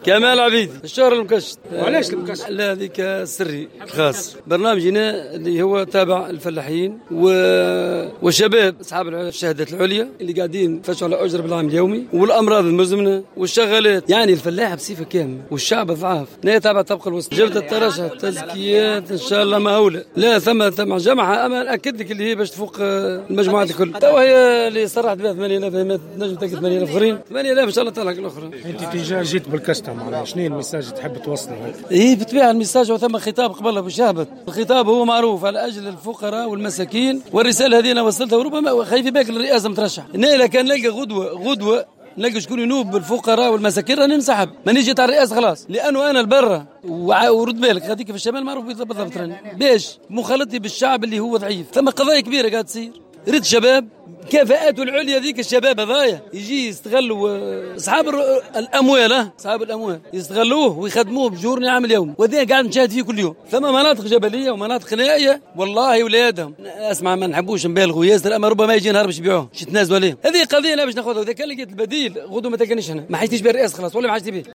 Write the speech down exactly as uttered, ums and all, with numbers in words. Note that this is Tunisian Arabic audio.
كمال عبيدي، الشهر المكشط. وعلاش المكشط؟ لا، هذيك سري خاص. برنامجنا اللي هو تابع الفلاحين و... والشباب اصحاب الشهادات العليا اللي قاعدين يفتشوا على اجر بالعام اليومي، والامراض المزمنة والشغالات، يعني الفلاح بصفة كاملة والشعب الضعاف. لا، تابع الطبقة الوسطى. جبت الترشح، التزكيات ان شاء الله مهوله. لا، ثم ثم جمعه، اما ناكد لك اللي هي باش تفوق المجموعات الكل. تو هي اللي صرحت بها ثمانية آلاف، تنجم تاكد ثمانية آلاف اخرين، ثمانية آلاف ان شاء الله تلحق الاخرى. انت déjà جيت بالكشطه، معناها شنو ال message تحب توصله؟ اي بالطبيعة ال message، وثم خطاب قبل باش يهبط. الخطاب هو معروف، على اجل الفقراء والمساكين، والرسالة هذه انا وصلتها، وربما خايف بالك الرئاسة مترشح. انا كان نلقى غدوه غدوه نلقى شكون ينوب بالفقراء والمساكين راني ننسحب، مانيش جيت على الرئاسة خلاص، لانه انا البرة. ورد بالك غاديك في الشمال معروف بالضبط، راني باش مخالطتي بالشعب اللي هو ضعيف. ثم قضايا كبيرة قاعدة تصير، ريت شباب كفاءاته العليا، ذيك الشباب هذايا يجي يستغلوا اصحاب الاموال، اصحاب الاموال يستغلوه ويخدموه ب journée عامل يوم، وهذا قاعد نشاهد فيه كل يوم. ثم مناطق جبلية ومناطق نائيه، والله ولادهم، اسمع، ما نحبوش نبالغوا ياسر، اما ربما يجي نهار باش يبيعوه، باش يتنازلوا عليه. هذه قضية انا باش ناخذها. اذا كان لقيت البديل غدوه ما تلقانيش هنا، ما حاجتيش بالرئاسه خلاص ولا ما حاجتي به.